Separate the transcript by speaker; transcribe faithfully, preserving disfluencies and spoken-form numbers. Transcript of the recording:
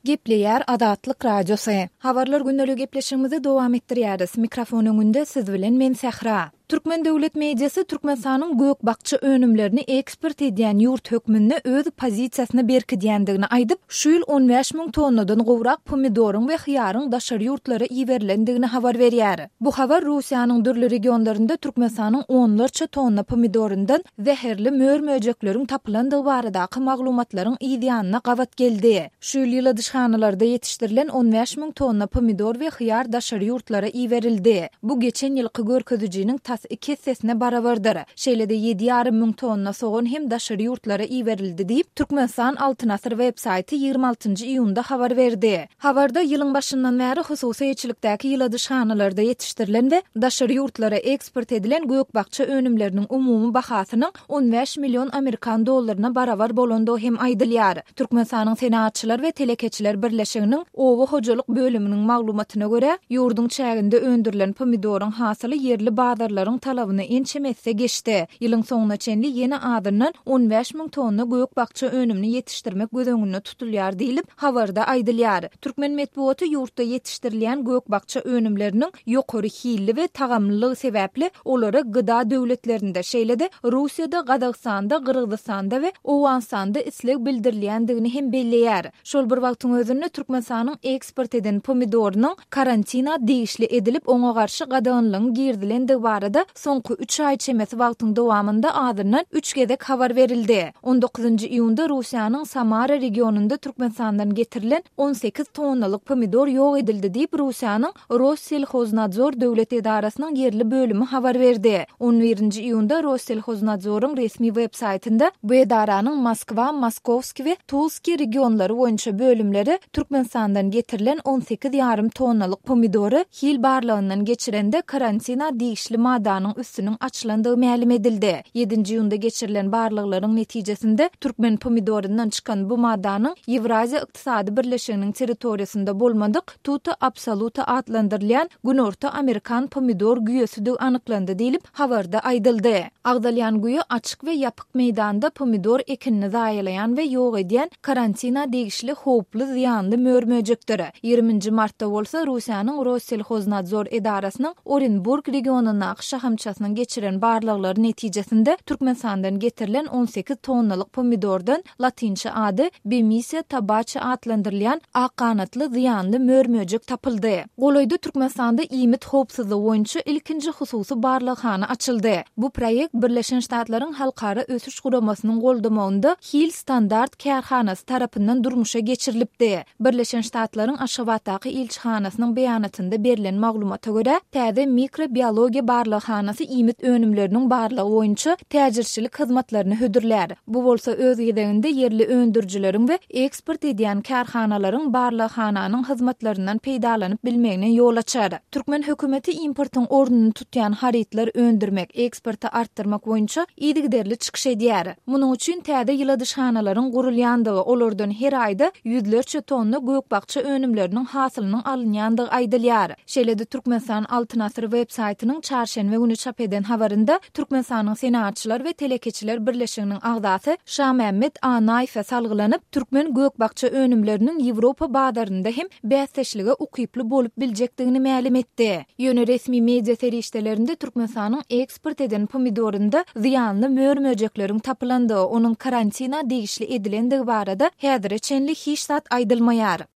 Speaker 1: Gepleýär Azatlyk Radiosy. Habarlar gündelik gepleşigimizi dowam etdirýäris. Mikrofon öňünde siz bilen men Sähra. Türkmen döwlet mediasy Türkmenistanyň gök-bakja önümlerini eksport edýän ýurt hökmünde öz pozisiýasyny berkidýändigini aýdyp, şu ýyl on bäş müň tonnadan gowrak pomidoryň we hyýaryň daşary ýurtlara iberilendigini habar berýär. Bu habar Russiýanyň dürli regionlarynda Türkmenistanyň onlarça tonna pomidoryndan zäherli mör-möjekleriň tapylandygy baradaky maglumatlaryň yz ýanyna gabat geldi. Şu ýyl ýyladyşhanalarda ýetişdirilen on bäş müň tonna pomidor we hyýar daşary ýurtlara iberildi. Bu geçen ýylky görkezijiniň tas iki essesine barabardyr. Şeýle-de ýedi ýarym müň tonna sogan hem daşary ýurtlara iberildi diýip, Türkmenistan Altyn Asyr web-saýty ýigrimi altynjy iýunda habar berdi. Habarda ýylyň başyndan bäri hususy eýeçilikdäki ýyladyşhanalarda ýetişdirilen we daşary ýurtlara eksport edilen gök-bakja önümleriniň umumy bahasynyň on bäş million amerikan dollaryna barabar bolandygy hem aýdylýar. Türkmenistanyň Senagatçylar we telekeçiler birleşiginiň oba hojalyk bölüminiň maglumatyna görä, ýurduň çäginde öndürilen pomidoryň hasyly ýerli bazarlaryň talabyny ençeme esse geçdi. Ýylyň soňuna çenli ýene azyndan on bäş müň tonna gök-bakja önümini ýetişdirmek göz öňünde tutulýar diýlip, habarda aýdylýar. Türkmen metbugaty ýurtda ýetişdirilýän gök-bakja önümleriniň ýokary hilli we tagamlylygy sebäpli olara gyda döwletlerinde, şeýle-de Russiýada, Gazagystanda, Gyrgyzystanda we Owganystanda isleg bildirilýändigini hem belleýär. Şol bir wagtyň özünde Türkmenistanyň eksport eden pomidorynyň karantina degişli edilip, oňa garşy gadaganlygyň girizilendigi barada soňky üç aý çemesi wagtyň dowamynda azyndan üç gezek habar berildi. On dokuzynjy iýunda Russiýanyň Samara regionynda Türkmenistandan getirilen on sekiz tonnalyk pomidor ýok edildi diýip, Russiýanyň Rosselhoznadzor döwlet edarasynyň ýerli bölümi habar berdi. On birinji iýunda Rosselhoznadzoryň resmi web-saýtynda bu edaranyň Moskwa, Moskowski we Tulski regionlary boýunça bölümleri Türkmenistandan getirilen on sekiz ýarym tonnalyk pomidory hil barlagyndan geçirende karantina degişli maddanyň üstüniň açylandygy mälim edildi. Ýedinji iýunda geçirilen barlaglaryň netijesinde türkmen pomidoryndan çykan bu maddanyň Ýewraziýa Ykdysady Birleşiginiň territoriýasynda bolmadyk Tuta absoluta atlandyrylýan Günorta Amerikan pomidor güýesidigi anyklandy diýlip, habarda aýdyldy. Agzalýan güýe açyk we ýapyk meýdanda pomidor ekinini zaýalaýan we ýok edýän karantina degişli howply zyýanly mör-möjekdir. Ýigriminji martda bolsa Russiýanyň Rosselhoznadzor edarasynyň Orenburg regionyndaky şahamçasynyň geçiren barlaglary netijesinde Türkmenistandan getirilen on sekiz tonnalyk pomidordan latynça ady Bemisia tabaci atlandyrylýan ak ganatly zyýanly mör-möjek tapyldy. Golaýda Türkmenistanda iýmit howpsuzlygy boýunça ilkinji hususy barlaghana açyldy. Bu proýekt Birleşen Ştatlaryň Halkara Ösüş Guramasynyň goldamagynda Hil Standart kärhanasy tarapyndan durmuşa geçirilipdi. Birleşen Ştatlaryň Aşgabatdaky ilçihanasynyň beýanatynda berlen maglumata görä, täze mikrobiologiýa barlaghanasy iýmit önümleriniň barlagy boýunça täjirçilik hyzmatlaryny hödürlär. Bu bolsa öz gezeginde ýerli öndürijileriň we eksport edýän kärhanalaryň barlaghananyň hyzmatlaryndan peýdalanyp bilmegine ýol açar. Türkmen hökümeti importyň ornuny tutýan harytlar öndürmek, eksporty artdyrmak boýunça yzygiderli çykyş edýär. Munuň üçin täze ýyladyşhanalaryň gurulýandygy, olardan her aýda ýüzlerçe tonna gök-bakja önümleriniň hasylynyň alynýandygy aýdylýar. Şeýle-de Türkmenistan Altyn Asyr web-saýtynyň çarşenbe güni çap eden habarynda Türkmenistanyň Senagatçylar we telekeçiler birleşiginiň agzasy Şamämmet Anaýewe salgylanyp, türkmen gök-bakja önümleriniň Ýewropa bazarynda hem bäsdeşlige ukyply bolup biljekdigini mälim etdi. Ýöne resmi media serişdelerinde Türkmenistanyň eksport eden pomidorynda zyýanly mör-möjekleriň tapylandygy, onuň karantina degişli edilendigi barada häzire çenli hiç zat aýdylmaýar.